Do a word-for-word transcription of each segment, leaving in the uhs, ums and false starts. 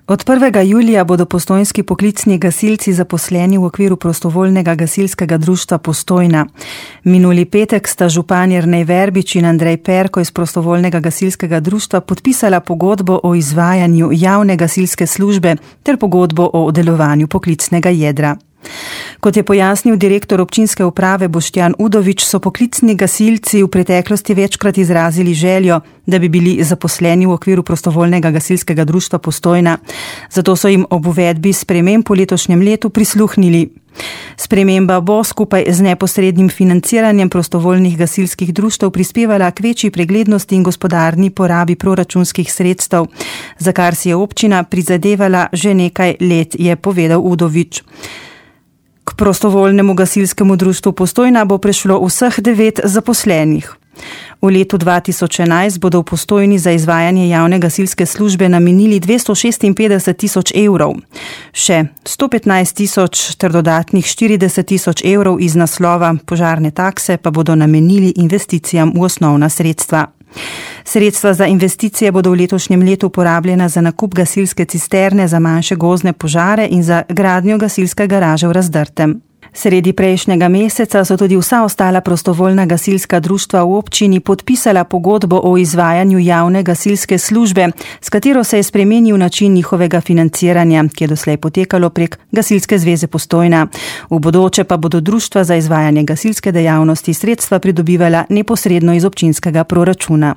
Od prvega julija bodo postojnski poklicni gasilci zaposleni v okviru prostovoljnega gasilskega društva Postojna. Minuli petek sta župan Jernej Verbič in Andrej Perko iz prostovoljnega gasilskega društva podpisala pogodbo o izvajanju javne gasilske službe ter pogodbo o delovanju poklicnega jedra. Kot je pojasnil direktor občinske uprave Boštjan Udovič, so poklicni gasilci v preteklosti večkrat izrazili željo, da bi bili zaposleni v okviru prostovoljnega gasilskega društva Postojna. Zato so jim ob uvedbi sprememb v letošnjem letu prisluhnili. Sprememba bo skupaj z neposrednim financiranjem prostovoljnih gasilskih društev prispevala k večji preglednosti in gospodarni porabi proračunskih sredstev, za kar si je občina prizadevala že nekaj let, je povedal Udovič. K prostovoljnemu gasilskemu društvu Postojna bo prešlo vseh devet zaposlenih. V letu dva tisoč enajst bodo v Postojni za izvajanje javne gasilske službe namenili dvesto šestinpetdeset tisoč evrov. Še sto petnajst tisoč ter dodatnih štirideset tisoč evrov iz naslova požarne takse pa bodo namenili investicijam v osnovna sredstva. Sredstva za investicije bodo v letošnjem letu porabljena za nakup gasilske cisterne za manjše gozdne požare in za gradnjo gasilske garaže v Razdrtem. Sredi prejšnjega meseca so tudi vsa ostala prostovoljna gasilska društva v občini podpisala pogodbo o izvajanju javne gasilske službe, s katero se je spremenil način njihovega financiranja, ki je doslej potekalo prek Gasilske zveze Postojna. V bodoče pa bodo društva za izvajanje gasilske dejavnosti sredstva pridobivala neposredno iz občinskega proračuna.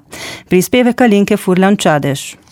Prispevek Alenke Furlan Čadež.